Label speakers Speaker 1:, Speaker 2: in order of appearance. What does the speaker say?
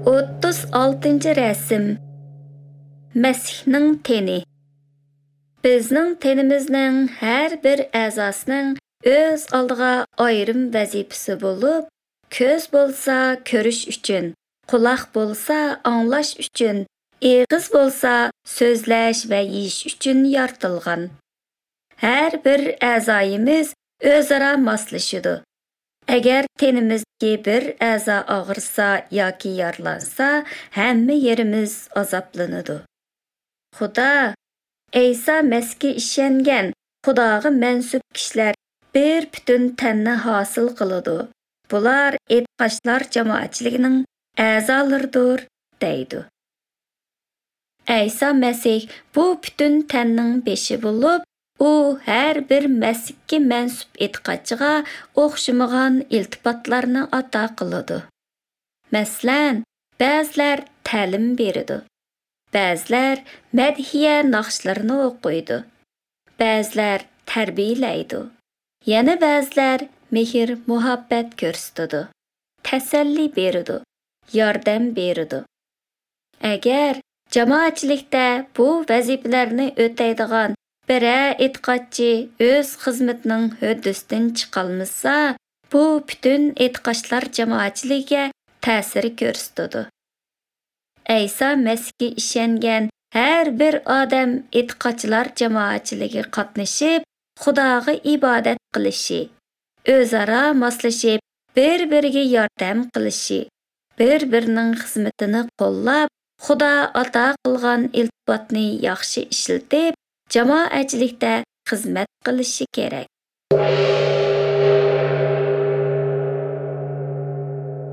Speaker 1: 36-rasm. Məsihning teni. Bizning tenimizning har bir a'zosining o'z oldiga ayrim vazifasi bo'lib, ko'z bo'lsa ko'rish uchun, quloq bo'lsa anglash uchun, eg'iz bo'lsa so'zlash va yeyish uchun yaratilgan. Har bir a'zoyimiz o'zaro moslashadi. Agar tenimizdagi bir a'zo og'risa yoki yaralansa, hamma yerimiz azoblanadi. Xudo Eysa Məsihga ishongan, Xudoga mansub kishilar bir butun tanni hosil qiladi. Bular e'tiqodchilar jamoatchiligining a'zolaridir, deydi. Eysa Məsih bu butun tanning beshi bo'lib, u har bir Məsihga mansub e'tiqodchiga o'xshamagan iltifotlarni ato qiladi. Masalan, ba'zilar ta'lim beradi, ba'zilar madhiya naqshlarini o'qiydi, ba'zilar tarbiyalaydi, yana ba'zilar mehr muhabbat ko'rsatadi, tasalli beradi, yordam beradi. Agar jamoatchilikda bu vazifalarni o'taydigan biror e'tiqodchi o'z xizmatining höddisidan chiqolmasa, bu butun e'tiqodchilar jamoatchiligiga ta'sir ko'rsatadi. Eysa Məsihga ishongan har bir odam e'tiqodchilar jamoatchiligiga qatnashib, Xudoga ibodat qilishi, o'zaro moslashib, bir-biriga yordam qilishi, bir-birining xizmatini qo'llab, Xudo ato qilgan iltifotni yaxshi ishlatib, jamoatchilikda xizmat qilishi kerak.